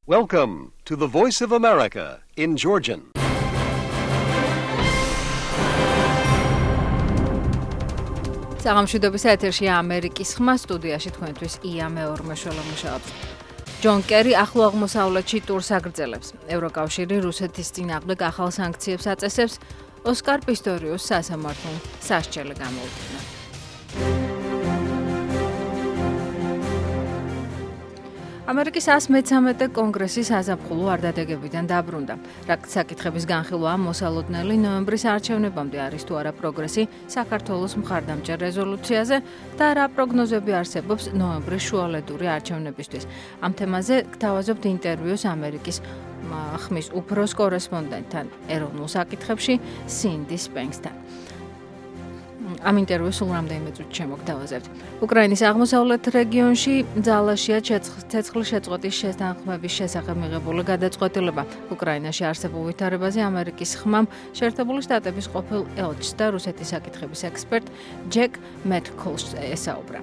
Welcome to the Voice of America in Georgian. საღამოშვიდობის ეთერშია ამერიკის ხმა, სტუდიაში თქვენთვის ია მეორმეშველო მუშაობს. ჯონ კერი ახლო აღმოსავლეთში ტურს აგრძელებს. ევროკავშირი რუსეთის წინააღმდეგ ახალ სანქციებს აწესებს. ოსკარ პისტორიუს სასამართლომ სასჯელი გამოუჩინა. ამერიკის 113-მე კონგრესის საზაფხულო არდადეგებიდან დაბრუნდა. საკითხების განხილვა მოსალოდნელი ნოემბრის არჩევნებამდე არის თუ არა პროგრესი საქართველოს მხარდამჭერ რეზოლუციაზე და რა პროგნოზები არსებობს ნოემბრის შუალედური არჩევნებისთვის. ამ თემაზე გთავაზობთ ინტერვიუს ამერიკის ხმის უფროს კორესპონდენტთან ეროვნულ საკითხებში სინდი სპენქსთან. ამ ინტერვიუს სულ რამდენიმე წუთში შემოგთავაზებთ. უკრაინის აღმოსავლეთ რეგიონში ძალაშია ცეცხლის შეწყვეტის შეთანხმების შესახებ მიღებული გადაწყვეტილება. უკრაინაში არსებულ ვითარებაზე ამერიკის ხმამ შეერთებული შტატების ყოფილ ელჩს და რუსეთის საკითხების ექსპერტ ჯეკ მეტკოლს ესაუბრა.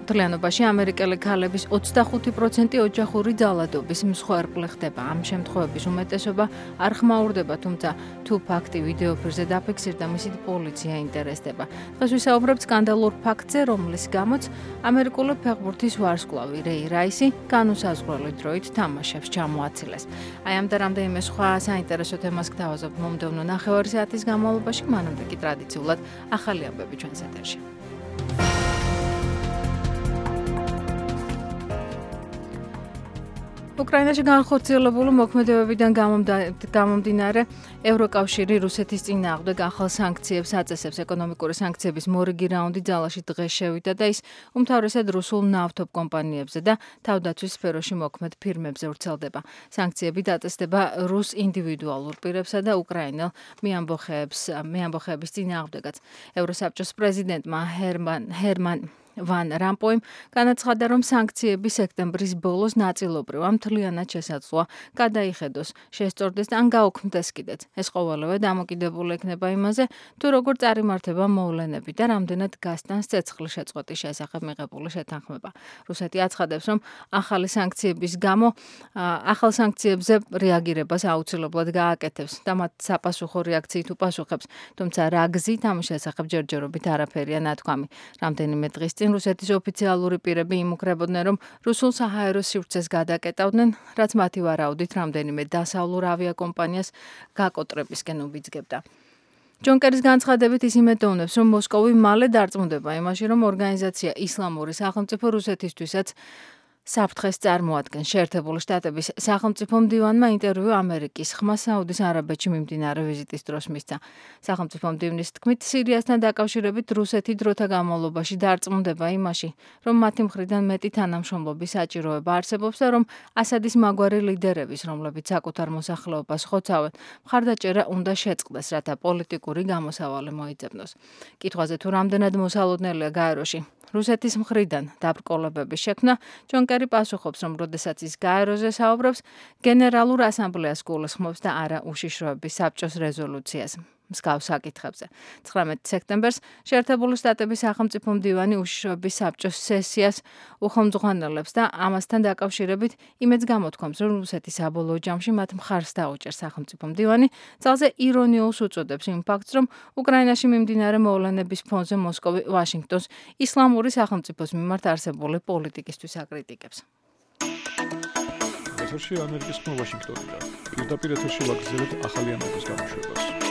მთლიანობაში ამერიკელი ქალების 25% ოჯახური ძალადობის მსხვერპლი ხდება. ამ შემთხვევების უმეტესობა არ ხმაურდება, თუმცა თუ ფაქტი ვიდეოფირზე დაფიქსირდა, მისით პოლიცია ინტერესდება. დღეს ვისაუბრებთ სკანდალურ ფაქტზე, რომლის გამოც ამერიკული ფეხბურთის ვარსკვლავი რეი რაისი განუსაზღვრელი დროით თამაშებს ჩამოაცილეს. აი ამ და რამდენიმე სხვა საინტერესო თემას გთავაზობთ მომდევნო ნახევარი საათის განმავლობაში, მანამდე კი ტრადიციულად ახალი ამბები ჩვენს ეთერში. უკრაინაში განხორციელებული მოქმედებებიდან გამომდინარე ევროკავშირი რუსეთის წინააღმდეგ ახალ სანქციებს აწესებს. ეკონომიკური სანქციების მორიგი რაუნდი ძალაში დღეს შევიდა და ის უმთავრესად რუსულ ნავთობ კომპანიებზე და თავდაცვის სფეროში მოქმედ ფირმებზე ვრცელდება. სანქციები დაწესდება რუს ინდივიდუალურ პირებსა და უკრაინელ მეამბოხეების წინააღმდეგაც. ევროსაბჭოს პრეზიდენტმა ჰერმან ვან რამპოიმ განაცხადა, რომ სანქციები სექტემბრის ბოლოს ნაწილობრივ ამ მთლიანად შესაძლოა გადაიხედოს, შესწორდეს ან გაუქმდეს კიდეც. ეს ყოველივე დამოკიდებული იქნება იმაზე, თუ როგორ წარიმართება მოვლენები და რამდენად გასტანს ცეცხლის შეწყვეტის შესახებ მიღებული შეთანხმება. რუსეთი აცხადებს, რომ ახალ სანქციებზე რეაგირებას აუცილებლად გააკეთებს და მათ საპასუხო რეაქციით უპასუხებს, თუმცა რა გზით ამის შესახებ ჯერჯერობით არაფერია ნათქვამი. რამდენიმე დღის რუსეთის ოფიციალური პირები იმუქრებოდნენ, რომ რუსულ საჰაერო სივრცეს გადაკეტავდნენ, რაც მათი ვარაუდით რამდენიმე დასავლურ ავიაკომპანიას გაკოტრებისკენ უბიძგებდა. ჯონ კერის განცხადებით ის იმედოვნებს, რომ მოსკოვი მალე დარწმუნდება იმაში, რომ ორგანიზაცია ისლამური სახელმწიფო რუსეთისთვისაც საფრთხეს წარმოადგენს. შეერთებული შტატების სახელმწიფო მდივანმა ინტერვიუ ამერიკის ხმა საუდის არაბეთში მიმდინარე ვიზიტის დროს მისცა. სახელმწიფო მდივნის თქმით, სირიასთან დაკავშირებით რუსეთი დროთა განმავლობაში დარწმუნდება იმაში, რომ მათი მხრიდან მეტი თანამშრომლობის საჭიროება არსებობს და რომ ასადის მაგვარი ლიდერების, რომლებიც საკუთარ მოსახლეობას ხოცავენ, მხარდაჭერა უნდა შეწყდეს, რათა პოლიტიკური გამოსავალი მოიძებნოს. კითხვაზე თუ რამდენად მოსალოდნელია გაეროში რუსეთის მხრიდან დაბრკოლებების შექმნა, ჯონ კერი პასუხობს, რომ როდესაც ის გაეროზე საუბრობს, გენერალურ ასამბლეას გულისხმობს და არა უშიშროების საბჭოს რეზოლუციას. მსგავს საკითხებზე. 19 სექტემბერს შეერთებული შტატების სახელმწიფო მდივანი უშიშროების საბჭოს სესიას უხელმძღვანელებს და ამასთან დაკავშირებით იმედს გამოთქვამს, რომ რუსეთი საბოლოო ჯამში მათ მხარს დაუჭერს. სახელმწიფო მდივანი ძალზე ირონიულს უწოდებს იმ ფაქტს, რომ უკრაინაში მიმდინარე მოვლენების ფონზე მოსკოვი ვაშინგტონს ისლამური სახელმწიფოს მიმართ არსებული პოლიტიკისთვის აკრიტიკებს. ეთერში ამერიკის ხმა ვაშინგტონიდან. პირდაპირ ეთერში ვაგრძელებთ ახალი ამბების გამოშვებას.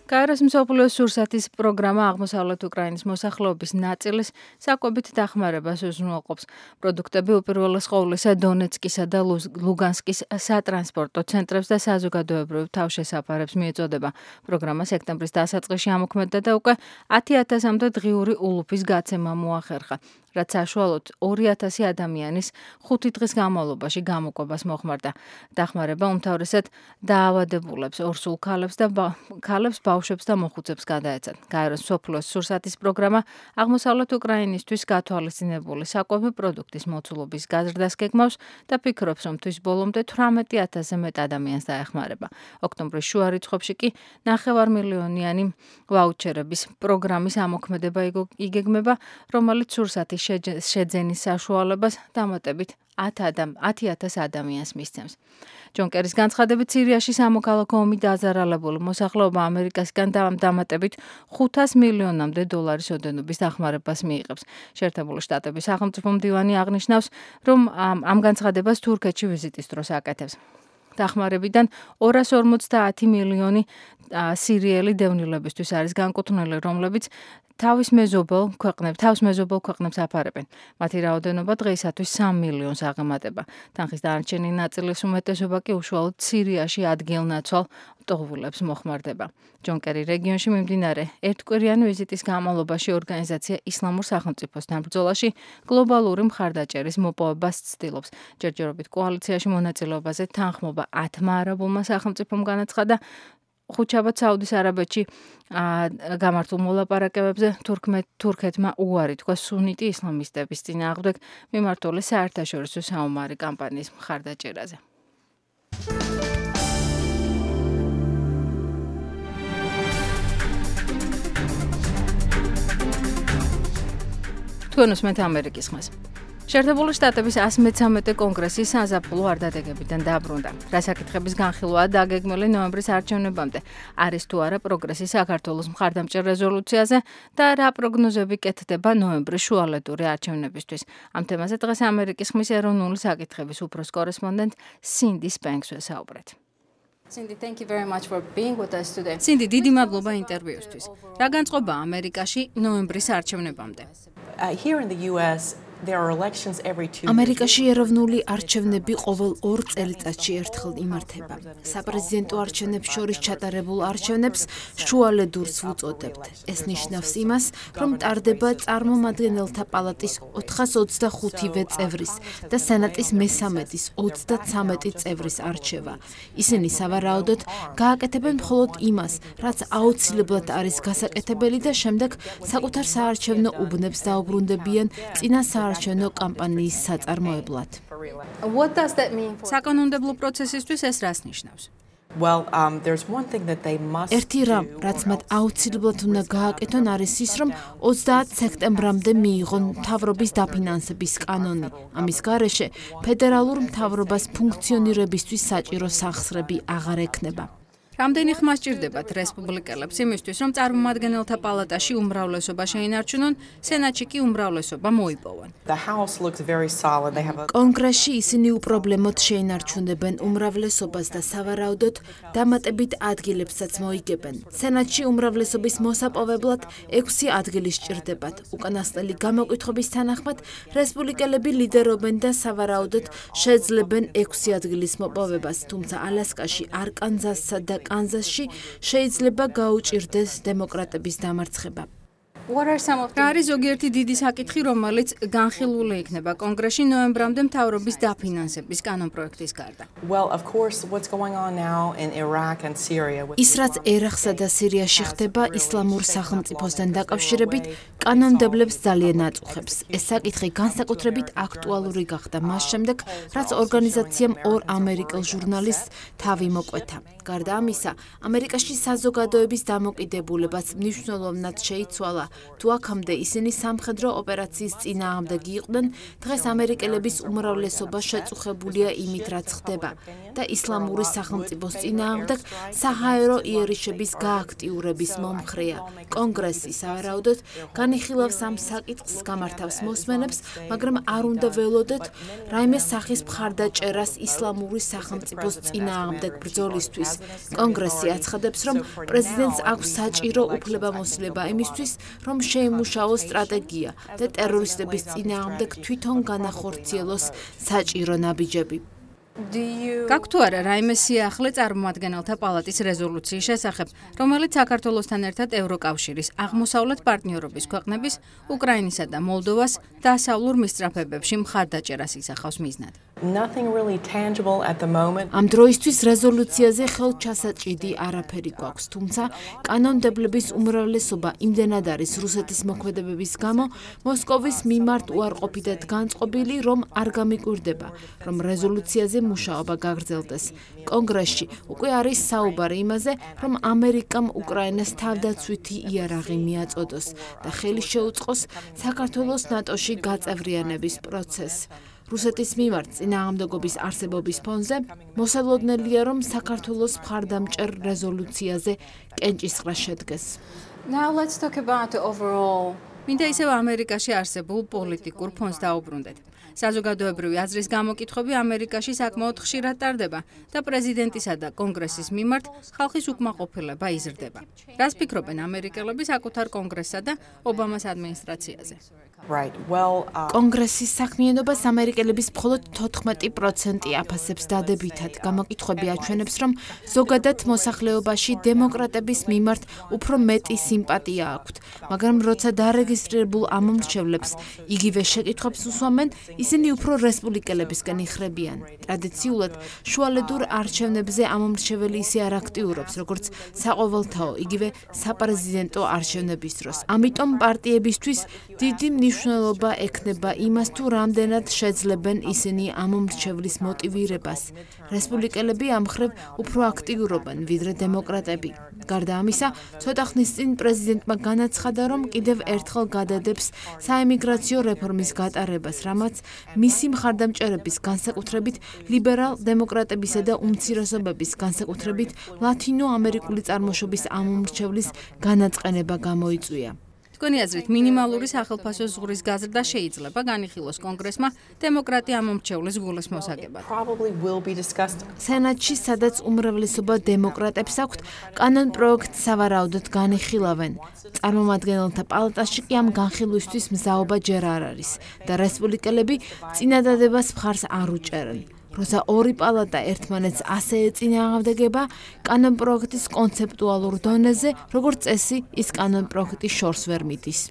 გაეროს მსოფლიო სურსათის პროგრამა აღმოსავლეთ უკრაინის მოსახლეობის ნაწილის საკვებით დახმარებას უზრუნველყოფს. პროდუქტები უპირველეს ყოვლისა დონეცკისა და ლუგანსკის სატრანსპორტო ცენტრებს და საზოგადოებრივ თავშესაფარებს მიეწოდება. პროგრამა სექტემბრის დასაწყისში ამოქმედდა და უკვე 10,000-მდე დღიური ულუფის გაცემა მოახერხა. რაც საშუალოდ 2000 ადამიანის 5 დღის განმავლობაში გამოკვებას მოხმარდა. დახმარება უმთავრესად დაავადებულებს, ორსულ ქალებს, ბავშვებს და მოხუცებს გადაეცათ. გაეროს მსოფლიოს სურსათის პროგრამა აღმოსავლეთ უკრაინისთვის გათვალისწინებული საკვები პროდუქტის მოცულობის გაზრდას გეგმავს და ფიქრობს, რომ თვის ბოლომდე 18,000-ზე მეტ ადამიანს დაეხმარება. ოქტომბრის შუა რიცხვებში კი 9 მილიონიანი ვაუჩერების პროგრამის ამოქმედება იგეგმება, რომელიც სურსათის შეძენის საშუალებას დამატებით 10,000 ადამიანს მისცემს. ჯონ კერის განცხადებით, სირიაში სამოქალაქო ომი დაზარალებული მოსახლეობა ამერიკასგან დამატებით 500 მილიონამდე დოლარის ოდენობის დახმარებას მიიღებს. შეერთებული შტატების სახელმწიფო მდივანი აღნიშნავს, რომ ამ განცხადებას თურქეთში ვიზიტის დროს აკეთებს. დახმარებიდან 250 მილიონი სირიელი დევნილებისთვის არის განკუთვნილი, რომლებიც თავის მეზობელ ქვეყნებს აფარებენ. მათი რაოდენობა დღეისათვის 3 მილიონს აღემატება. თანხის დანარჩენი ნაწილის უმეტესობა კი უშუალოდ სირიაში ადგილნაცვალ მტოვლებს მოხმარდება. ჯონ კერი რეგიონში მიმდინარე ერთკვირიანი ვიზიტის განმავლობაში ორგანიზაცია ისლამურ სახელმწიფოსთან ბრძოლაში გლობალური მხარდაჭერის მოპოვებას ცდილობს. ჯერჯერობით კოალიციაში მონაწილეობაზე თანხმობა 10 არაბულმა სახელმწიფომ განაცხადა. ხუთშაბათ საუდის არაბეთში გამართულ მოლაპარაკებებზე თურქეთმა უარი თქვა სუნიტი ისლამისტების წინააღმდეგ მიმართული საერთაშორისო საომარი კამპანიის მხარდაჭერაზე. თქვენ უსმენთ ამერიკის ხმას. შეერთებული შტატების 113 კონგრესის საზაფხულო არდადეგებიდან დაბრუნდა. რა საკითხების განხილვაა დაგეგმილი ნოემბრის არჩევნებამდე? არის თუ არა პროგრესი საქართველოს მხარდამჭერ რეზოლუციაზე და რა პროგნოზები კეთდება ნოემბრის შუალედური არჩევნებისთვის? ამ თემაზე დღეს ამერიკის ხმის ეროვნული საკითხების უფროს კორესპონდენტ სინდი სპენკს ვესაუბრეთ. სინდი, დიდი მადლობა ინტერვიუსთვის. რა განწყობა ამერიკაში ნოემბრის არჩევნებამდე? ამერიკაში ეროვნული არჩევნები ყოველ 2 წელიწადში ერთხელ იმართება. საპრეზიდენტო არჩევნებს შორის ჩატარებულ არჩევნებს შუალედურს ვუწოდებთ. ეს ნიშნავს იმას, რომ ტარდება წარმომადგენელთა პალატის 425-ვე წევრის და სენატის მე-13-ის 33 წევრის არჩევა. ისინი სავარაუდოდ გააკეთებენ მხოლოდ იმას, რაც აუცილებლად არის გასაკეთებელი და შემდეგ საკუთარ საარჩევნო უბნებს დაუბრუნდებიან წინა საარჩევნო კამპანიის საწარმოებლად. საკანონმდებლო პროცესისთვის ეს რას ნიშნავს? ერთი რამ, რაც მათ აუცილებლად უნდა გააკეთონ, არის ის, რომ 30 სექტემბრამდე მიიღონ მთავრობის დაფინანსების კანონი. ამის გარეშე ფედერალურ მთავრობას ფუნქციონირებისთვის საჭირო სახსრები აღარ ექნება. რამდენი ხმა სჭირდებათ რესპუბლიკელებს იმისთვის, რომ წარმომადგენელთა პალატაში უმრავლესობა შეინარჩუნონ, სენატში კი უმრავლესობა მოიპოვონ? კონგრესში ისინი უპრობლემოდ შეინარჩუნებენ უმრავლესობას და სავარაუდოდ დამატებით ადგილებსაც მოიგებენ. სენატში უმრავლესობის მოსაპოვებლად 6 ადგილი სჭირდებათ. უკანასკნელი გამოკითხვების თანახმად, რესპუბლიკელები ლიდერობენ და სავარაუდოდ შეძლებენ 6 ადგილის მოპოვებას, თუმცა ალასკაში, არკანზასსა და კანზასში შეიძლება გაუჭირდეს დემოკრატების დამარცხება. რა არის ზოგიერთი დიდი საკითხი, რომელიც განხილული იქნება კონგრესში ნოემბრამდე მთავრობის დაფინანსების კანონპროექტის გარდა? ის, რაც ერაყსა და სირიაში ხდება ისლამურ სახელმწიფოსთან დაკავშირებით, კანონმდებლებს ძალიან აწუხებს. ეს საკითხი განსაკუთრებით აქტუალური გახდა მას შემდეგ, რაც ორგანიზაციამ 2 ამერიკელ ჟურნალისტს თავი მოკვეთა. გარდა ამისა, ამერიკაში საზოგადოების დამოკიდებულებაც მნიშვნელოვნად შეიცვალა. თუ აქამდე ისინი სამხედრო ოპერაციის წინააღმდეგ იყვნენ, დღეს ამერიკელების უმრავლესობა შეწუხებულია იმით, რაც ხდება და ისლამური სახელმწიფოს წინააღმდეგ საჰაერო იერიშების გააქტიურების მომხრეა. კონგრესი სავარაუდოდ განიხილავს ამ საკითხს, გამართავს მოსმენებს, მაგრამ არ უნდა ველოდეთ რაიმე სახის მხარდაჭერას ისლამური სახელმწიფოს წინააღმდეგ ბრძოლისთვის. კონგრესი აცხადებს, რომ პრეზიდენტს აქვს საჭირო უფლებამოსილება იმისთვის, რომ შეიმუშაოს სტრატეგია და ტერორისტების წინააღმდეგ თვითონ განახორციელოს საჭირო ნაბიჯები. გაქვთ თუ არა რაიმე სიახლე წარმომადგენელთა პალატის რეზოლუციის შესახებ, რომელიც საქართველოსთან ერთად ევროკავშირის აღმოსავლეთ პარტნიორობის ქვეყნების, უკრაინისა და მოლდოვას დასავლურ მისწრაფებებში მხარდაჭერას ისახავს მიზნად? ამ დროისთვის რეზოლუციაზე ხელჩასაჭიდი არაფერი გვაქვს, თუმცა კანონმდებლების უმრავლესობა იმდენად არის რუსეთის მოქმედებების გამო მოსკოვის მიმართ უარყოფითად განწყობილი, რომ არ გამიკვირდება, რომ რეზოლუციაზე მუშაობა გაგრძელდეს. კონგრესში უკვე არის საუბარი იმაზე, რომ ამერიკამ უკრაინას თავდაცვითი იარაღი მიაწოდოს და ხელი შეუწყოს საქართველოს ნატოში გაწევრიანების პროცესს. რუსეთის მიმართ წინააღმდეგობის არსებობის ფონზე მოსალოდნელია, რომ საქართველოს მხარდამჭერ რეზოლუციაზე კენჭისყრა შედგეს. მინდა ისევ ამერიკაში არსებულ პოლიტიკურ ფონს დაუბრუნდეთ. საზოგადოებრივი აზრის გამოკითხვები ამერიკაში საკმაოდ ხშირად ტარდება და პრეზიდენტისა და კონგრესის მიმართ ხალხის უკმაყოფილება იზრდება. რას ფიქრობენ ამერიკელები საკუთარ კონგრესსა და ობამას ადმინისტრაციაზე? კონგრესის საქმიანობას ამერიკელების მხოლოდ 14% აფასებს დადებითად. გამოკითხვები აჩვენებს, რომ ზოგადად მოსახლეობაში დემოკრატების მიმართ უფრო მეტი სიმპათია აქვთ, მაგრამ როცა დარეგისტრირებულ ამომრჩევლებს იგივე შეკითხვებს უსვამენ, ისინი უფრო რესპუბლიკელებისკენ იხრებიან. ტრადიციულად შუალედურ არჩევნებზე ამომრჩეველი ისე არ აქტიურობს, როგორც საყოველთაო, იგივე საპრეზიდენტო არჩევნების დროს. ამიტომ პარტიებისთვის დიდი მნიშვნელობა ექნება იმას, თუ რამდენად შეძლებენ ისინი ამომრჩევლის მოტივირებას. რესპუბლიკელები ამ მხრივ უფრო აქტიურობენ, ვიდრე დემოკრატები. გარდა ამისა, ცოტა ხნის წინ პრეზიდენტმა განაცხადა, რომ კიდევ ერთხელ გადადებს საემიგრაციო რეფორმის გატარებას, რამაც მისი მხარდამჭერების განსაკუთრებით ლიბერალ-დემოკრატებისა და უმცირესობების განსაკუთრებით ლათინო-ამერიკული წარმოშობის ამომრჩევლის განაწყენება გამოიწვია. თქვენი აზრით, მინიმალური სახელფასო ზღურის გაზრდა შეიძლება განიხილოს კონგრესმა დემოკრატი ამომრჩევლის გულის მოსაგებად. სენატში, სადაც უმრავლესობა დემოკრატებს აქვთ, კანონპროექტს სავარაუდოდ განიხილავენ. წარმომადგენელთა პალატაში კი ამ განხილვისთვის მზაობა ჯერ არ არის და რესპუბლიკელები წინადადებას მხარს არ უჭერენ. როცა ორი პალატა ერთმანეთს ასე ეწინააღმდეგება, კანონპროექტის კონცეპტუალურ დონეზე, როგორც წესი, ის კანონპროექტი შორს ვერ მიდის.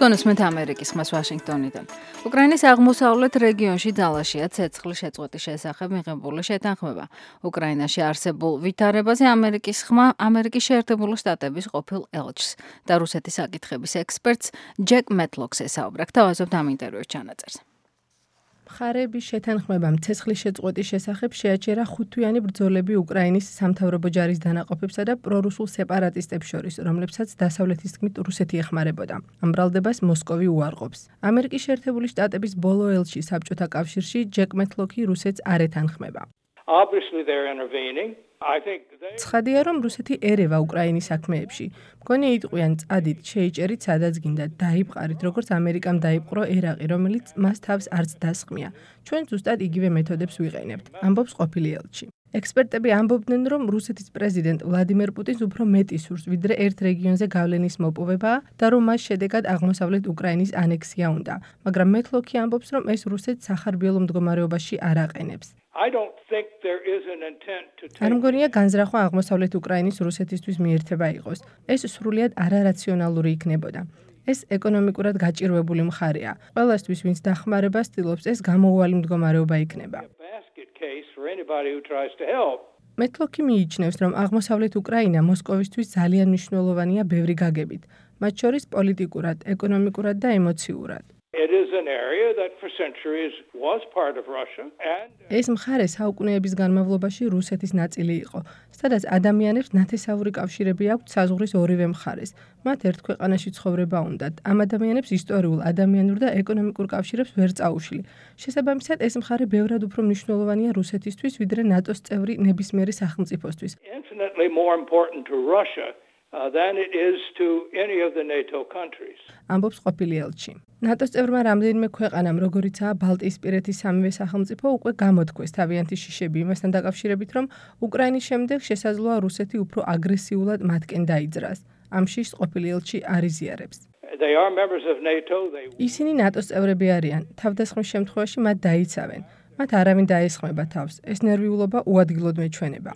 გონოსმენთ ამერიკის ხმას ვაშინგტონიდან. უკრაინის აღმოსავლეთ რეგიონში ძალაშია ცეცხლის შეწყვეტის შესახებ მიღებული შეთანხმება. უკრაინაში არსებულ ვითარებაზე ამერიკის ხმა ამერიკის შეერთებული შტატების ყოფილ ელჩს და რუსეთის საკითხების ექსპერტს ჯეკ მეტლოქს ესაუბრა. გთავაზობთ ამ ინტერვიუს ჩანაწერს. მხარეების შეთანხმებამ ცეცხლის შეწყვეტის შესახებ შეაჩერა 5-თვიანი ბრძოლები უკრაინის სამთავრობო ჯარის დანაყოფებსა და პრორუსულ სეპარატისტებს შორის, რომლებსაც დასავლეთის თქმით რუსეთი ეხმარებოდა. ამ ბრალდებას მოსკოვი უარყოფს. ამერიკის შეერთებული შტატების ბოლო ელჩი საბჭოთა კავშირში ჯეკ მეტლოქი რუსეთს არ ეთანხმება. ცხადია, რომ რუსეთი ერევა უკრაინის საქმეებში. მგონი იტყვიან წადით, შეიჭერით სადაც გინდათ, დაიბყარით, როგორც ამერიკამ დაიპყრო ერაყი, რომელიც მას თავს არც დასხმია. ჩვენ ზუსტად იგივე მეთოდებს ვიყენებთ, ამბობს ყოფილი ელჩი. ექსპერტები ამბობდნენ, რომ რუსეთის პრეზიდენტ ვლადიმერ პუტინს უფრო მეტი სურს, ვიდრე ერთ რეგიონზე გავლენის მოპოვებაა და რომ მას შედეგად აღმოსავლეთ უკრაინის ანექსია უნდა. მაგრამ მეტლოქი ამბობს, რომ ეს რუსეთს სახარბიელო მდგომარეობაში არ აყენებს. არ მგონია განზრახვა აღმოსავლეთ უკრაინის რუსეთისთვის მიერთება იყოს. ეს სრულიად არარაციონალური იქნებოდა. ეს ეკონომიკურად გაჭირვებული მხარეა. ყველასთვის, ვინც დახმარებას ცდილობს, ეს გამოუვალი მდგომარეობა იქნება. მეტლოქი მიიჩნევს, რომ აღმოსავლეთ უკრაინა მოსკოვისთვის ძალიან მნიშვნელოვანია ბევრი გაგებით, მათ შორის პოლიტიკურად, ეკონომიკურად და ემოციურად. ეს მხარე საუკუნეების განმავლობაში რუსეთის ნაწილი იყო, სადაც ადამიანებს ნათესაური კავშირები აქვთ საზღვრის ორივე მხარეს. მათ ერთ ქვეყანაში ცხოვრება უნდათ. ამ ადამიანებს ისტორიულ, ადამიანურ და ეკონომიკურ კავშირებს ვერ წაუშვი. შესაბამისად, ეს მხარე ბევრად უფრო მნიშვნელოვანია რუსეთისთვის, ვიდრე ნატოს წევრი ნებისმიერი სახელმწიფოსთვის. ამბობს ყოფილი ელჩი. ნატოს წევრმა რამდენიმე ქვეყანამ, როგორიცაა ბალტიისპირეთის სამივე სახელმწიფო, უკვე გამოთქვეს თავიანთი შიშები იმასთან დაკავშირებით, რომ უკრაინის შემდეგ შესაძლოა რუსეთი უფრო აგრესიულად მათკენ დაიძრას. ამ შიშს ყოფილი ელჩი არ იზიარებს. ისინი ნატოს წევრები არიან. თავდასხმის შემთხვევაში მათ დაიცავენ. მათ არავინ დაესხმება თავს. ეს ნერვიულობა უადგილოდ მეჩვენება.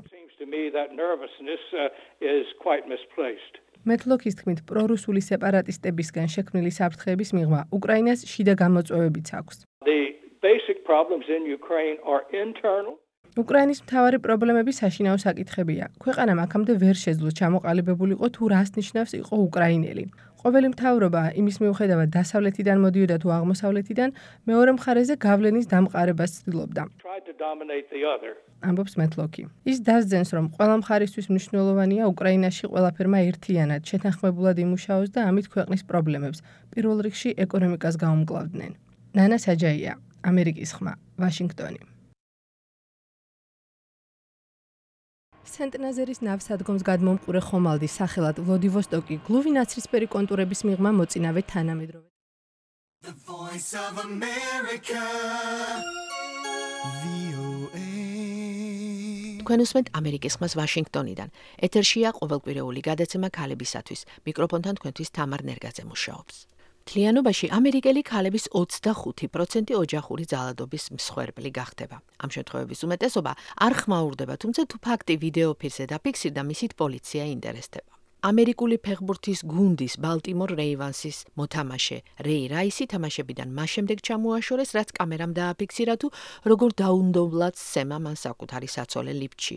მეთლოქის თქმით, პრორუსული სეპარატისტებისგან შექმნილი საფრთხეების მიღმა უკრაინას შიდა გამოწვევებიც აქვს. უკრაინის მთავარი პრობლემები საშინაო საკითხებია. ქვეყანამ აქამდე ვერ შეძლო ჩამოყალიბებულიყო თუ რას ნიშნავს იყო უკრაინელი. ყოველი მთავრობა იმის მიუხედავად დასავლეთიდან მოდიოდა თუ აღმოსავლეთიდან, მეორე მხარეზე გავლენის დამყარებას ცდილობდა. ამბობს მეთლოქი. ის დასძენს, რომ ყველა მხარისთვის მნიშვნელოვანია უკრაინაში ყველაფერმა ერთიანად შეთანხმებულად იმუშაოს და ამით ქვეყნის პრობლემებს, პირველ რიგში ეკონომიკას გაუმკლავდნენ. ნანა საჯაია, ამერიკის ხმა, ვაშინგტონი. სენტ-ნაზერის ნავსადგომს გადმომყურე ხომალდის სახელად ვლოდივოსტოკი გლუვი ნაცრისფერი კონტურების მიღმა მოწინავე თანამედროვე. თქვენ უსმენთ ამერიკის ხმას ვაშინგტონიდან. ეთერშია ყოველკვირეული გადაცემა ქალებისათვის. მიკროფონთან თქვენთვის თამარ ნერგაძე მუშაობს. მთლიანობაში ამერიკელი ქალების 25% ოჯახური ძალადობის მსხვერპლი გახდება. ამ შემთხვევების უმეტესობა არ ხმაურდება, თუმცა თუ ფაქტი ვიდეოფილზე დაფიქსირდა, მისით პოლიცია ინტერესდება. ამერიკული ფეხბურთის გუნდის ბალტიმორ რეივანსის მოთამაშე რეი რაისი თამაშებიდან მას შემდეგ ჩამოაშორეს, რაც კამერამ დააფიქსირა თუ როგორ დაუნდობლად სცემა მან საკუთარი საცოლე ლიფტში.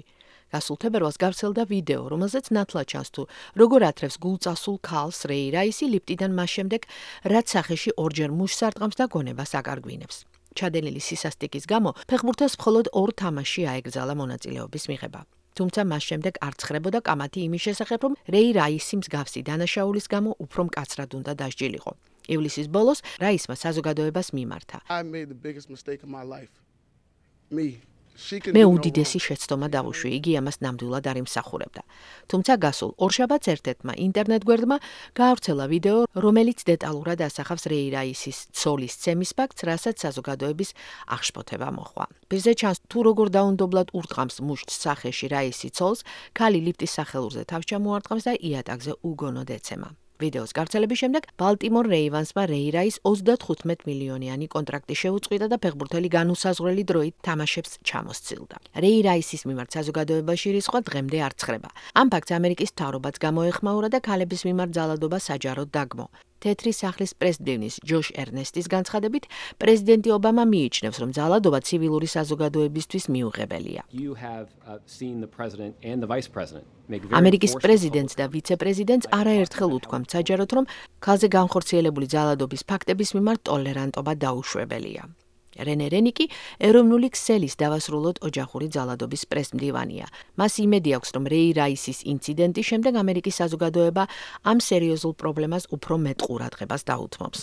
გასულ თებერვალს გავრცელდა ვიდეო, რომელზეც ნათლად ჩანს თუ როგორ ათრევს გულწასულ ქალს რეი რაისი ლიფტიდან მას შემდეგ, რაც სახეში ორჯერ მუშს არტყამს და გონებას აკარგვინებს. ჩადენილი სისასტიკის გამო ფეხბურთელს მხოლოდ 2 თამაში აეკრძალა მონაწილეობის მიღება. თუმცა მას შემდეგ არ ცხრებოდა კამათი იმის შესახებ, რომ რეი რაისი მსგავსი დანაშაულის გამო უფრო მკაცრად უნდა დასჯილიყო. ივლისის ბოლოს რაისმა საზოგადოებას მიმართა. მე უდიდესი შეცდომა დავუშვი, იგი ამას ნამდვილად არ იმსახურებდა. თუმცა გასულ ორშაბათს ერთ-ერთმა ინტერნეტ გვერდმა გაავრცელა ვიდეო, რომელიც დეტალურად ასახავს რეი რაისის ცოლის ცემის ფაქტს, რასაც საზოგადოების აღშფოთება მოჰყვა. პირზე ჩანს თუ როგორ დაუნდობლად ურტყამს მუშტს სახეში რაისი ცოლს, ქალი ლიფტის სახელურზე თავს ჩამოარტყამს და იატაკზე უგონოდ ეცემა. ვიდეოს გავრცელების შემდეგ ბალტიმორ რეივანსმა რეი რაის 35 მილიონიანი კონტრაქტი შეუწყვიტა და ფეხბურთელი განუსაზღვრელი დროით თამაშებს ჩამოსცილდა. რეი რაისის მიმართ საზოგადოებაში რისხვა დღემდე არ ცხრება. ამ ფაქტს ამერიკის მთავრობაც გამოეხმაურა და ქალების მიმართ ძალადობა საჯაროდ დაგმო. თეთრი სახლის პრეზიდენტის ჯოშ ერნესტის განცხადებით, პრეზიდენტი ობამა მიიჩნევს, რომ ძალადობა ცივილური საზოგადოებისთვის მიუღებელია. ამერიკის პრეზიდენტს და ვიცე-პრეზიდენტს არაერთხელ უთქვამთ საჯაროდ, რომ ქალზე განხორციელებული ძალადობის ფაქტების მიმართ ტოლერანტობა დაუშვებელია. რენე რენიკი ეროვნული ქსელის დავასრულოთ ოჯახური ძალადობის პრესმდივანია. მას იმედი აქვს, რომ რეი რაისის ინციდენტის შემდეგ ამერიკის საზოგადოება ამ სერიოზულ პრობლემას უფრო მეტ ყურადღებას დაუთმობს.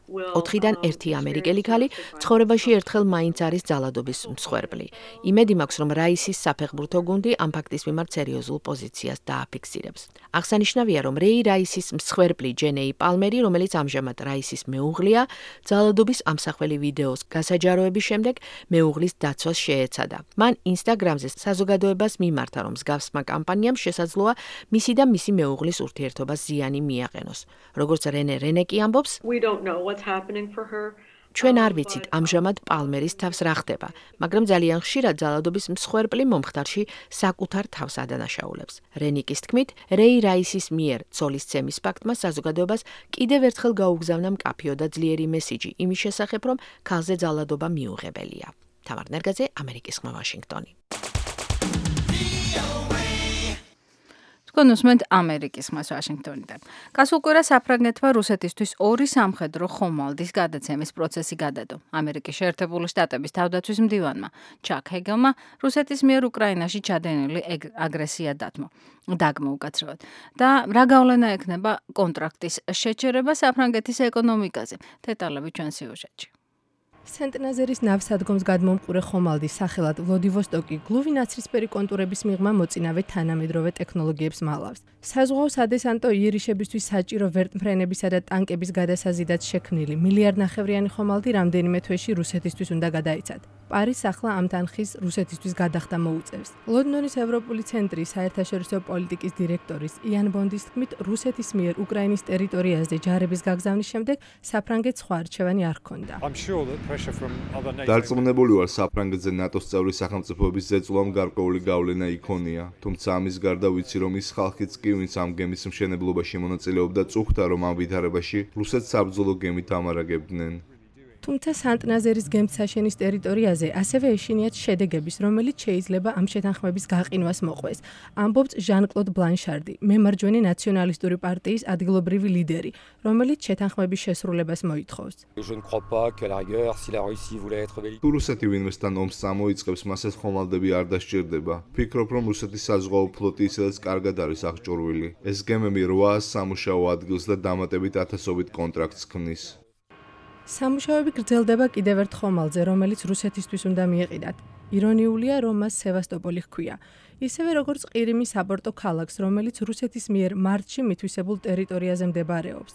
4-დან 1 ამერიკელი ქალი ცხოვრებაში ერთხელ მაინც არის ძალადობის მსხვერპლი. იმედი მაქვს, რომ რაისის საფეხბურთო გუნდი ამ ფაქტის მიმართ სერიოზულ პოზიციას დააფიქსირებს. აღსანიშნავია, რომ რეი რაისის მსხვერპლი ჯენეი პალმერი, რომელიც ამჟამად რაისის მეუღლეა, ძალადობის ამსახველი ვიდეოს გასაჯაროების შემდეგ მეუღლის დაცვას შეეცადა. მან ინსტაგრამზე საზოგადოებას მიმართა, რომ მსგავსმა კამპანიამ შესაძლოა მისი და მისი მეუღლის ურთიერთობას ზიანი მიაყენოს. როგორც რენე რენეკი ამბობს, ჩვენ არ ვიცით ამჟამად პალმერის თავს რა ხდება, მაგრამ ძალიან ხშირად ძალადობის მსხვერპლი მომხდარში საკუთარ თავს ადანაშაულებს. რენიკის თქმით, რეი რაისის მიერ ცოლის ცემის ფაქტმა საზოგადოებას კიდევ ერთხელ გაუგზავნა მკაფიო და ძლიერი მესიჯი იმის შესახებ, რომ ქალზე ძალადობა მიუღებელია. თამარ ნერგაძე, ამერიკის ხმა, ვაშინგტონი. თქვენ უსმენთ ამერიკის ხმას ვაშინგტონიდან. გასულ კვირას საფრანგეთმა რუსეთისთვის 2 სამხედრო ხომალდის გადაცემის პროცესი გადადო. ამერიკის შეერთებული შტატების თავდაცვის მდივანმა ჩაკ ჰეგელმა რუსეთის მიერ უკრაინაში ჩადენილი აგრესია დაგმო უკაცრავად. და რა გავლენა ექნება კონტრაქტის შეჩერება საფრანგეთის ეკონომიკაზე? დეტალები ჩვენ სიუჟეტში. სენტ-ნაზერის ნავსადგომს გადმომყურე ხომალდის სახელად ვლოდივოსტოკი გლუვი ნაცრისფერი კონტურების მიღმა მოწინავე თანამედროვე ტექნოლოგიებს მალავს. საზღვაო სადესანტო იერიშებისთვის საჭირო ვერტმფრენებისა და ტანკების გადასაზიდად შექმნილი მილიარდნახევრიანი ხომალდი რამდენიმე თვეში რუსეთისთვის უნდა გადაიცათ. პარიზს ახლა ამ თანხის რუსეთისთვის გადახდა მოუწევს. ლონდონის ევროპული ცენტრის საერთაშორისო პოლიტიკის დირექტორის იან ბონდის თქმით, რუსეთის მიერ უკრაინის ტერიტორიაზე ჯარების გაგზავნის შემდეგ საფრანგეთს სხვა არჩევანი არ ჰქონდა. დარწმუნებული ვარ, საფრანგეთზე ნატოს წევრი სახელმწიფოების ზეწოლამ გარკვეული გავლენა იქონია, თუმცა ამის გარდა ვიცი, რომ ის ხალხიც კი, ვინც ამ გემის მშენებლობაში მონაწილეობდა, წუხდა, რომ ამ ვითარებაში რუსეთს საბრძოლო გემით ამარაგებდნენ. თუმცა სანტ-ნაზერის გემთსაშენის ტერიტორიაზე ასევე ეშინიათ შედეგების, რომელიც შეიძლება ამ შეთანხმების გაყინვას მოყვეს. ამბობს ჟან-კლოდ ბლანშარდი, მემარჯვენე ნაციონალისტური პარტიის ადგილობრივი ლიდერი, რომელიც შეთანხმების შესრულებას მოითხოვს. თუ რუსეთი ვინმესთან ომს წამოიწყებს, მას ეს ხომალდები არ დასჭირდება. ვფიქრობ, რომ რუსეთის საზღვაო ფლოტი ისედაც კარგად არის აღჭურვილი. ეს გემები 800 სამუშაო ადგილს და დამატებით 1000-ობით კონტრაქტს ქმნის. სამუშაოები გრძელდება კიდევ ერთ ხომალდზე, რომელიც რუსეთისთვის უნდა მიეყიდათ. ირონიულია, რომ მას სევასტოპოლი ჰქვია. ისევე როგორც ყირიმის საპორტო ქალაქს, რომელიც რუსეთის მიერ მარტში მითვისებულ ტერიტორიაზე მდებარეობს.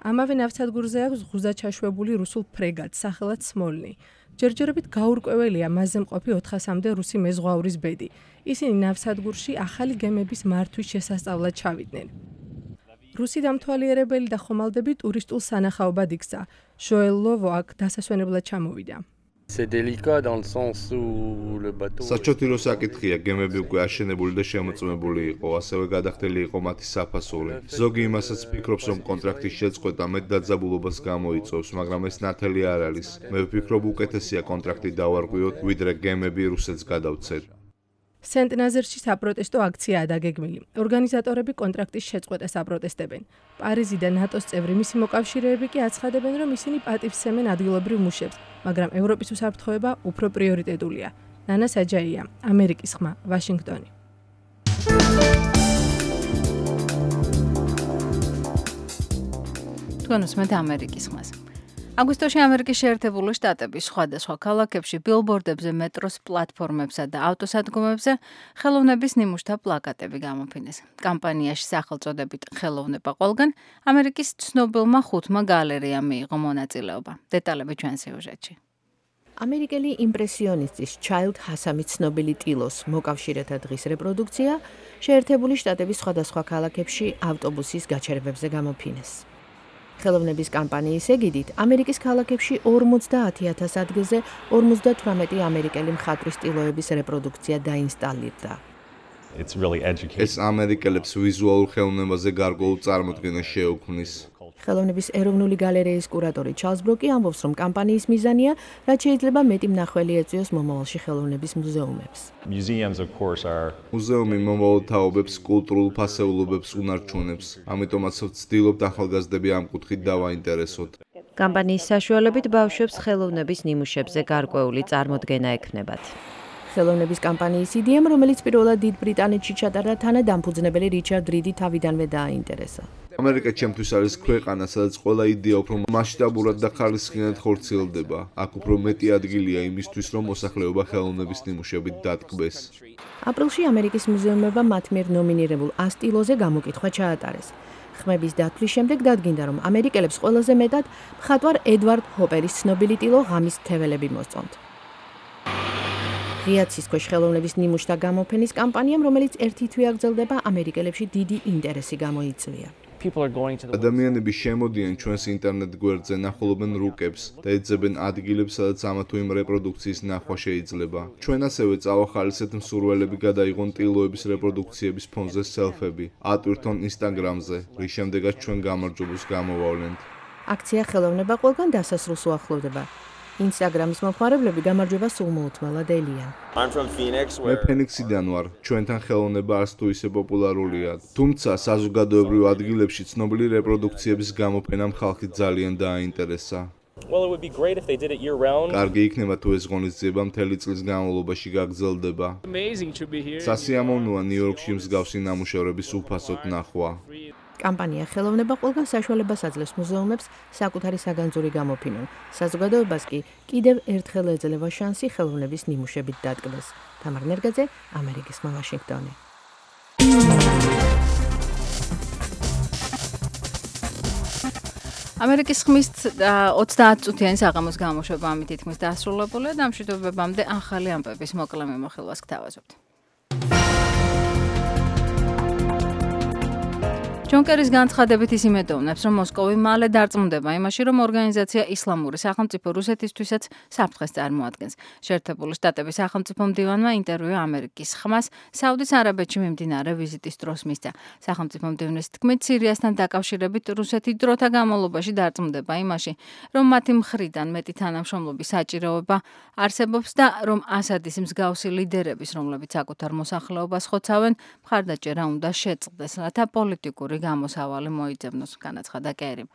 ამავე ნავსადგურზე აქვს ღუზაჩაშვებული რუსულ ფრეგატს, სახელად სმოლნი. ჯერჯერობით გაურკვეველია მასზე მყოფი 400-მდე რუსი მეზღვაურის ბედი. ისინი ნავსადგურში ახალი გემების მართვის შესასწავლად ჩავიდნენ. რუსი დამთვალიერებელი და ხომალდები ტურისტულ სანახაობად იქცა. ჟოელ ლოვო აქ დასასვენებლად ჩამოვიდა. საჩოთირო საკითხია, გემები უკვე აშენებული და შემოწმებული იყო, ასევე გადახდელი იყო მათი საფასური. ზოგი იმასაც ფიქრობს, რომ კონტრაქტის შეწყვეტა მეტ დაძაბულობას გამოიწვევს, მაგრამ ეს ნათელი არ არის. მე ვფიქრობ, უკეთესია კონტრაქტი დავარღვიოთ, ვიდრე გემები რუსეთს გადავცეთ. სენტ-ნაზერში საპროტესტო აქციაა დაგეგმილი. ორგანიზატორები კონტრაქტის შეწყვეტას აპროტესტებენ. პარიზი და ნატოს წევრი მისი მოკავშირეები კი აცხადებენ, რომ ისინი პატივსცემენ ადგილობრივ მუშებს, მაგრამ ევროპის უსაფრთხოება უფრო პრიორიტეტულია. ნანა საჯაია, ამერიკის ხმა, ვაშინგტონი. თქვენ უსმენთ ამერიკის ხმას. აგვისტოში ამერიკის შეერთებული შტატების სხვადასხვა ქალაქებში ბილბორდებზე, მეტროს პლატფორმებსა და ავტოსადგომებზე ხელოვნების ნიმუშთა პლაკატები გამოფინეს. კამპანიაში სახელწოდებით ხელოვნება ყველგან ამერიკის ცნობილმა 5 გალერეამ მიიღო მონაწილეობა. დეტალები ჩვენ სიუჟეტში. ამერიკელი იმპრესიონისტის ჩაილდ ჰასამის ცნობილი ტილოს მოკავშირეთა დღის რეპროდუქცია შეერთებული შტატების სხვადასხვა ქალაქებში ავტობუსის გაჩერებებზე გამოფინეს. ხელოვნების კამპანიის ეგიდით ამერიკის ქალაქებში 50,000 ადგილზე 58 ამერიკელი მხატვრის ტილოების რეპროდუქცია დაინსტალირდა. ეს ამერიკელებს ვიზუალურ ხელოვნებაზე გარკვეულ წარმოდგენას შეუქმნის. ხელოვნების ეროვნული გალერეის კურატორი ჩარლზ ბროკი ამბობს, რომ კამპანიის მიზანია, რაც შეიძლება მეტი მნახველი ეწვიოს მომავალში ხელოვნების მუზეუმებს. მუზეუმი მომავალ თაობებს, კულტურულ ფასეულობებს უნარჩუნებს, ამიტომაც ვცდილობთ ახალგაზრდები ამ კუთხით დავაინტერესოთ. კამპანიის საშუალებით ბავშვებს ხელოვნების ნიმუშებზე გარკვეული წარმოდგენა ექნებათ. ხელოვნების კამპანიის იდეამ, რომელიც პირველად დიდ ბრიტანეთში ჩატარდა, თანადამფუძნებელი რიჩარდ რიდი თავიდანვე დააინტერესა. ამერიკა ჩემთვის არის ქვეყანა, სადაც ყველა იდეა უფრო მასშტაბურად და ხარისხიანად ხორციელდება. აქ უფრო მეტი ადგილია იმისთვის, რომ მოსახლეობა ხელოვნების ნიმუშებით დატკბეს. აპრილში ამერიკის მუზეუმებმა მათ მიერ ნომინირებულ 100 ტილოზე გამოკითხვა ჩაატარეს. ხმების დათვლის შემდეგ დადგინდა, რომ ამერიკელებს ყველაზე მეტად მხატვარ ედვარდ ჰოპერის ცნობილი ტილო ღამის თეველები მოსწონთ. ღიაცის ქვეშ ხელოვნების ნიმუშთა გამოფენის კამპანიამ, რომელიც ერთი თვე აგრძელდება, ამერიკელებში დიდი ინტერესი გამოიწვია. ადამიანები შემოდიან ჩვენს ინტერნეტ გვერდზე, ნახულობენ რუკებს და ეძებენ ადგილებს, სადაც ამა თუ იმ რეპროდუქციის ნახვა შეიძლება. ჩვენ ასევე წავახალისეთ მსურველები გადაიღონ ტილოების რეპროდუქციების ფონზე სელფები, ატვირთონ ინსტაგრამზე, რის შემდეგაც ჩვენ გამარჯვებულს გამოვავლენთ. აქცია ხელოვნება ყველგან დასასრულს უახლოვდება. ინსტაგრამის მომხმარებლები გამარჯვებას სულ მოუთმელად ელიან. მე ფენიქსიდან ვარ. ჩვენთან ხელოვნება არც თუ ისე პოპულარულია. თუმცა საზოგადოებრივ ადგილებში ცნობილი რეპროდუქციების გამოფენამ ხალხი ძალიან დააინტერესა. კარგი იქნება თუ ეს ღონისძიება მთელი წლის განმავლობაში გაგრძელდება. სასიამოვნოა ნიუ-იორკში მსგავსი ნამუშევრების უფასოდ ნახვა. კამპანია ხელოვნება ყველგან საშუალებას აძლევს მუზეუმებს საკუთარი საგანძური გამოფინონ. საზოგადოებას კი კიდევ ერთხელ ეძლევა შანსი ხელოვნების ნიმუშებით დატკბეს. თამარ ნერგაძე, ამერიკის ხმა, ვაშინგტონი. ამერიკის ხმის 30 წუთიანი საღამოს გამოშვება ამით თითქმის დასრულებულია და ამ მშვიდობებამდე ახალი ამბების მოკლე მიმოხილვას გთავაზობთ. ჯონ კერის განცხადებით ის იმედოვნებს, რომ მოსკოვი მალე დარწმუნდება იმაში, რომ ორგანიზაცია ისლამური სახელმწიფო რუსეთისთვისაც საფრთხეს წარმოადგენს. შეერთებული შტატების სახელმწიფო მდივანმა ინტერვიუ ამერიკის ხმას საუდის არაბეთში მიმდინარე ვიზიტის დროს მისცა. სახელმწიფო მდივნის თქმით, სირიასთან დაკავშირებით რუსეთი დროთა განმავლობაში დარწმუნდება იმაში, რომ მათი მხრიდან მეტი თანამშრომლობის საჭიროება არსებობს და რომ ასადის მსგავსი ლიდერების, რომლებიც საკუთარ მოსახლეობას ხოცავენ, მხარდაჭერა უნდა შეწყდეს, რათა პოლიტიკური გამოსავალი მოიძებნოს, განაცხადა კერიმ.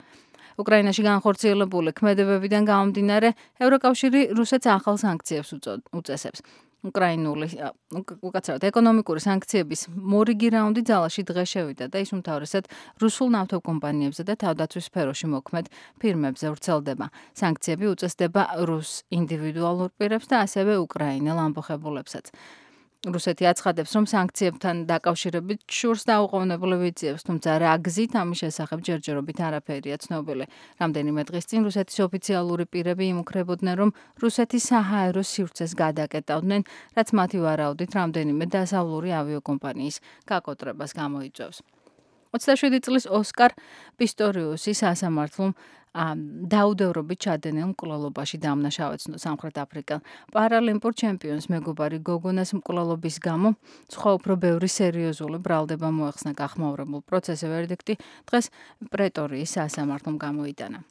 უკრაინაში განხორციელებული ქმედებებიდან გამომდინარე, ევროკავშირი რუსეთს ახალ სანქციებს უწესებს. უკაცრავად ეკონომიკური სანქციების მორიგი რაუნდი ძალაში დღეს შევიდა და ის უმთავრესად რუსულ ნავთობკომპანიებზე და თავდაცვის სფეროში მოქმედ ფირმებზე ვრცელდება. სანქციები უწესდება რუს ინდივიდუალურ პირებს და ასევე უკრაინელ ამბოხებულებსაც. რუსეთი აცხადებს, რომ სანქციებთან დაკავშირებით შურს დაუყოვნებლივ იძიებს, თუმცა რა გზით ამის შესახებ ჯერჯერობით არაფერია ცნობილი. რამდენიმე დღის წინ რუსეთის ოფიციალური პირები იმუქრებოდნენ, რომ რუსეთის საჰაერო სივრცეს გადაკეტავდნენ, რაც მათი ვარაუდით რამდენიმე დასავლური ავიაკომპანიის გაკოტრებას გამოიწვევს. 27 წლის ოსკარ პისტორიუსი სასამართლომ დაუდევრობით ჩადენილ მკვლელობაში დამნაშავეცნო სამხრეთ აფრიკელ პარალიმპურ ჩემპიონს მეგობარი გოგონას მკვლელობის გამო სხვა უფრო ბევრი სერიოზული ბრალდება მოეხსნა გახმაურებულ პროცესზე ვერდიქტი დღეს პრეტორიის სასამართლომ გამოიტანა.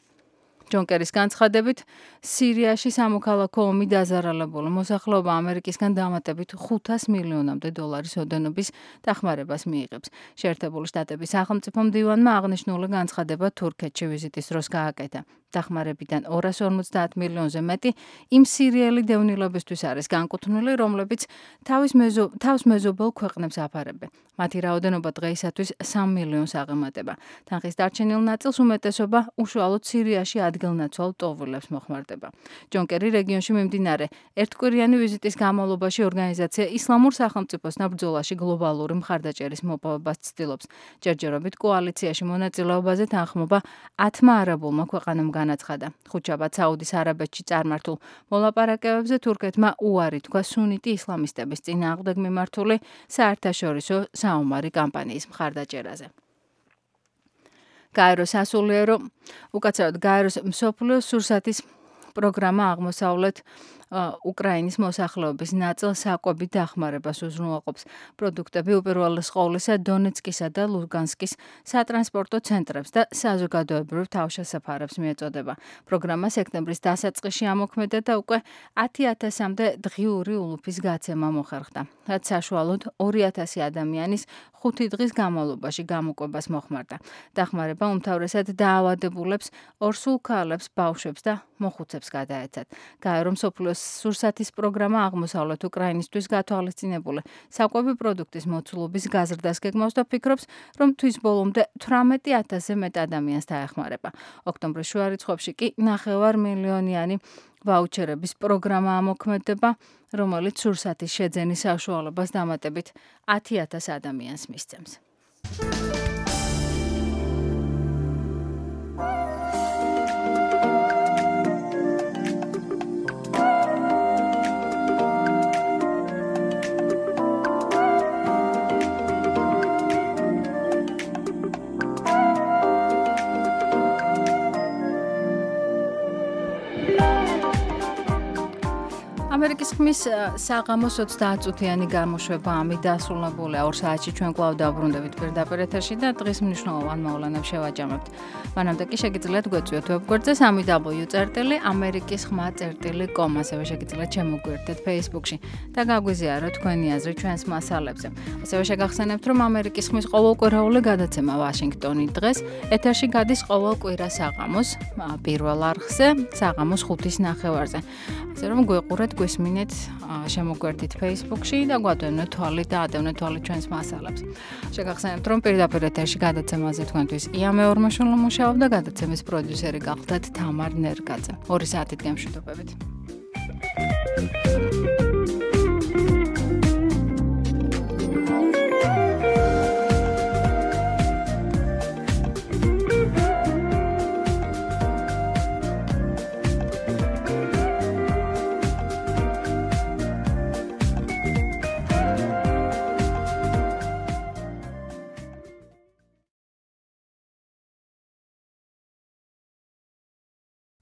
ჯონ კერის განცხადებით, სირიაში სამოქალაქო ომი დაზარალებული მოსახლეობა ამერიკისგან დამატებით $500 მილიონამდე ოდენობის დახმარებას მიიღებს. შეერთებული შტატების სახელმწიფო მდივანმა აღნიშნული განცხადება თურქეთში ვიზიტის დროს გააკეთა. დახმარებიდან 250 მილიონზე მეტი იმ სირიელი დევნილებისთვის არის განკუთვნილი, რომლებიც თავს მეზობელ ქვეყნებს აფარებენ. მათი რაოდენობა დღეისათვის 3 მილიონს აღემატება. თანხის დარჩენილ ნაწილს უმეტესობა უშუალოდ სირიაში ადგილნაცვალ ტოვულებს მოხმარდება. ჯონ კერი რეგიონში მიმდინარე ერთკვირიანი ვიზიტის განმავლობაში ორგანიზაცია ისლამურ სახელმწიფოსთან ბრძოლაში გლობალური მხარდაჭერის მოპოვებას ცდილობს. ჯერჯერობით კოალიციაში მონაწილეობაზე თანხმობა 10 არაბულმა ქვეყანამ განაცხადა. ხუთშაბათ საუდის არაბეთში წარმართულ მოლაპარაკებებზე თურქეთმა უარი თქვა სუნიტი ისლამისტების წინააღმდეგ მიმართული საერთაშორისო საომარი კამპანიის მხარდაჭერაზე. გაეროს სასულიერო უკაცრავად გაეროს მსოფლიო სურსათის პროგრამა აღმოსავლეთ უკრაინის მოსახლეობის ნაწილ საკვებით დახმარებას უზრუნველყოფს. პროდუქტები უპირველეს ყოვლისა დონეცკისა და ლუგანსკის სატრანსპორტო ცენტრებს და საზოგადოებრივ თავშესაფარებს მიეწოდება. პროგრამა სექტემბრის დასაწყისში ამოქმედა და უკვე 10,000-მდე დღიური ულუფის გაცემა მოხერხდა, რაც საშუალოდ 2,000 ადამიანის 5 დღის განმავლობაში გამოკვებას მოხმარდა. დახმარება უმთავრესად დაავადებულებს, ორსულ ქალებს, ბავშვებს და მოხუცებს გადაეცათ. გაერო მსოფლიო სურსათის პროგრამა აღმოსავლეთ უკრაინისთვის გათვალისწინებული საკვები პროდუქტის მოცულობის გაზრდას გეგმავს და ფიქრობს, რომ თვის ბოლომდე 18,000-ზე მეტ ადამიანს დაეხმარება. ოქტომბრის შუა რიცხვებში კი 9 მილიონიანი ვაუჩერების პროგრამა ამოქმედება, რომელიც სურსათის შეძენის საშუალებას დამატებით 10,000 ადამიანს მისცემს. ამერიკის ხმის საღამოს 30 წუთიანი გამოშვება ამით დასრულებულია. 2 საათში ჩვენ კვლავ დავბრუნდებით პირდაპირ ეთერში და დღის მნიშვნელოვან მოვლენებს შევაჯამებთ. მანამდე კი შეგიძლიათ გვეწვიოთ ვებგვერდზე www.amerikiskhma.com, ასევე შეგიძლიათ შემოგვიერთდეთ Facebook-ში და გაგვიზიაროთ თქვენი აზრი ჩვენს მასალებზე. ასევე შეგახსენებთ, რომ ამერიკის ხმის ყოველკვირეული გადაცემა ვაშინგტონი დღეს ეთერში გადის ყოველ კვირა საღამოს პირველ არხზე, საღამოს 5:09-ზე. ასე რომ გვეყურეთ გვესმინეთ, შემოგვერთით Facebook-ში და გვადევნეთ თვალით და ადევნეთ თვალით ჩვენს მასალებს. შეგახსენებთ, რომ პირდაპირ ეთერში გადაცემაზე თქვენთვის ია მეორმაშვილო მუშაობდა, გადაცემის პროდიუსერი გახლდათ თამარ ნერგაძე. 2 საათით გემშვიდობებით.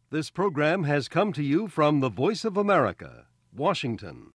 This program has come to you from the Voice of America, Washington.